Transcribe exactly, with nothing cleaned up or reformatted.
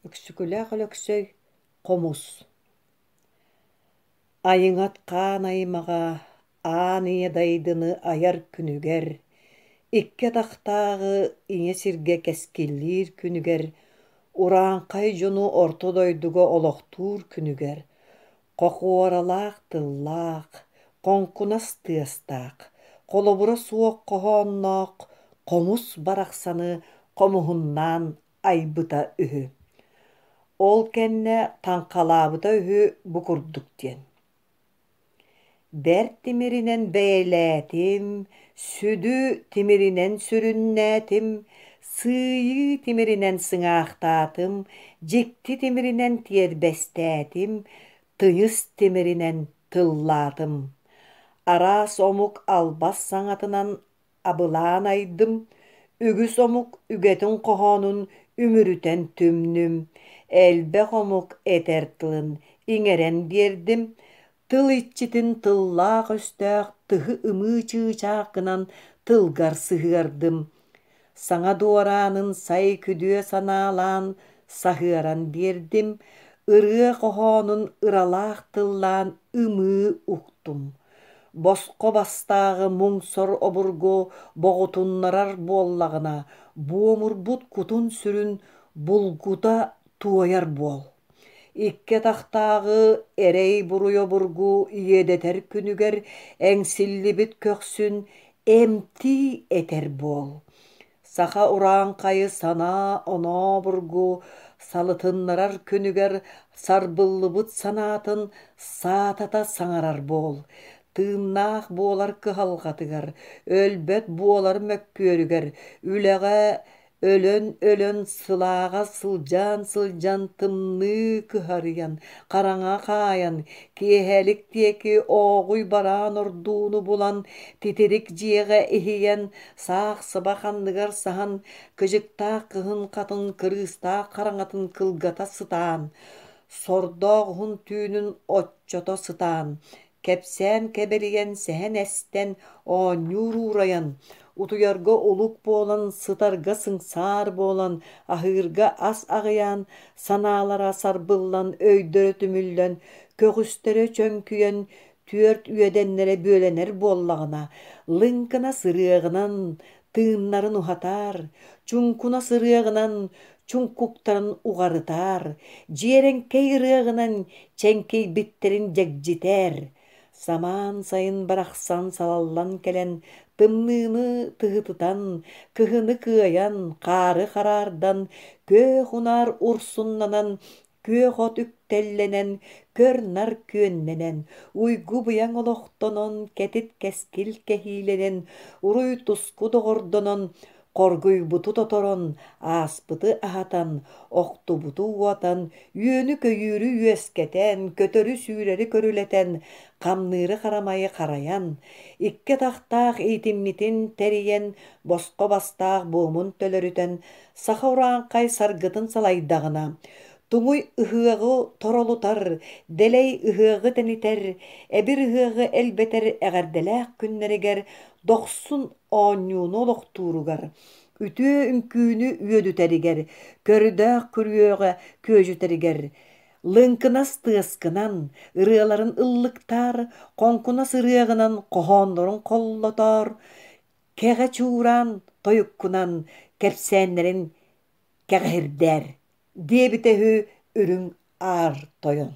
Өксөкүлээх Өлөксөй Хомус Айыҥат хаан аймаҕа аан ийэ дайдыны айар күнүгэр, икки атахтааҕы ийэ сиргэ кэскиллиир күнүгэр, урааҥхай дьону орто дойдуга олохтуур күнүгэр, хохуоралаах тыллаах, хоҥкунас тыастаах, холобура суох хоһоонноох хомус барахсаны хомуһуннаан айбыта үһү. Ол кэннэ таҥхалаабыта үһү бу курдук диэн: Бэрт тимиринэн бэйэлээтим, сүдү тимиринэн сүрүннээтим, сыыйыы тимиринэн сыҥаахтаатым, дьикти тимиринэн тиэрбэстээтим, тыйыс тимиринэн тыллаатым. Араас омук албас саҥатынан абылаан айдым, үгүс омук үгэтин хоһоонун үмүрүтэн түмнүм, элбэх омук этэр тылын иҥэрэн биэрдим, тыл иччитин тыллаах-өстөөх тыһы ымыы чыычаах гынан тылгар сыһыардым, саҥа дуораанын сай күдүө санаалаан саһыаран биэрдим, ырыа хоһоонун ыралаах тыллаан ымыы уктум. Босхо бастааҕы муҥ-сор обургу боҕутуннарар буоллаҕына, буомурбут кутун-сүрүн булгута туойар буол. Икки атахтааҕы эрэй-буруй обургу иэдэтэр күнүгэр эҥсиллибит көхсүн эмтии этэр буол. Саха урааҥхайы санаа-оноо обургу салытыннарар күнүгэр сарбыллыбыт санаатын саатата саҥарар буол. Тыыннаах буолар кыһалҕатыгар, өлбөт буолар мөккүөрүгэр, үлэҕэ өлөн-өлөн, сылааҕа сылдьан-сылдьан тымныы кыһарыйан, хараҥа хаайан, киэһэлик диэки ооҕуй бараан ордууну булан, титирик дьиэҕэ иһийэн, саах сыбах анныгар саһан, кыдьыктаах кыһын хатын кырыыстаах хараҥатын кылгата сытаан, сордоох уһун түүнүн оччото сытаан, кэпсээн кэбэлийэн, сэһэн эстэн, оонньуур уурайан, утуйарга улук буолан, сытарга сыҥсаар буолан, аһыырга ас аҕыйаан, санаалара сарбыллан, өйдөрө түмүллэн, көҕүстэрэ чөҥкүйэн, түөрт үөдэннэрэ бүөлэнэр буоллаҕына, лыҥкынас ырыаҕынан тыыннарын уһатаар, чуҥкунас ырыаҕынан чуҥкуктарын уҕарытаар, дьиэрэҥкэй ырыаҕынан чэҥкийбиттэрин дьэгдьитээр. Самаан сайын барахсан салаллан кэлэн, тымныыны тыһытытан, кыһыны кыайан, хаары хараардан, күөх унаар урсуннанан, күөх от үктэллэнэн, көр-нар күөннэнэн, уйгу-быйаҥ олохтонон, кэтит кэскил кэһиилэнэн, уруй-туску доҕордонон, хоргуйбуту тоторон, ааспыты аһатан, охтубуту уотан, үөнү-көйүүрү үөскэтэн, көтөрү-сүүрэри көрүлэтэн, хамныыры-харамайы харайан, икки атахтаах иитиммитин тэрийэн, босхо бастаах буомун төлөрүтэн, саха урааҥхай саргытын салайдаҕына, туҥуй ыһыаҕы торолутар, дэлэй ыһыаҕы тэнитэр, эбир ыһыаҕы элбэтэр эҕэрдэлээх күннэригэр дохсун оонньууну олохтууругар, үтүө үҥкүүнү үөдүтэригэр, көрдөөх күрүөҕэ күөдьүтэригэр, лыҥкынас тыаскынан, ырыаларын ыллыктаар, хоҥкунас ырыаҕынан хоһооннорун холлотоор, кэҕэ чуураан тойуккунан кэпсээннэрин кэҕиһирдээр, диэбитэ үһү Үрүҥ Аар Тойон.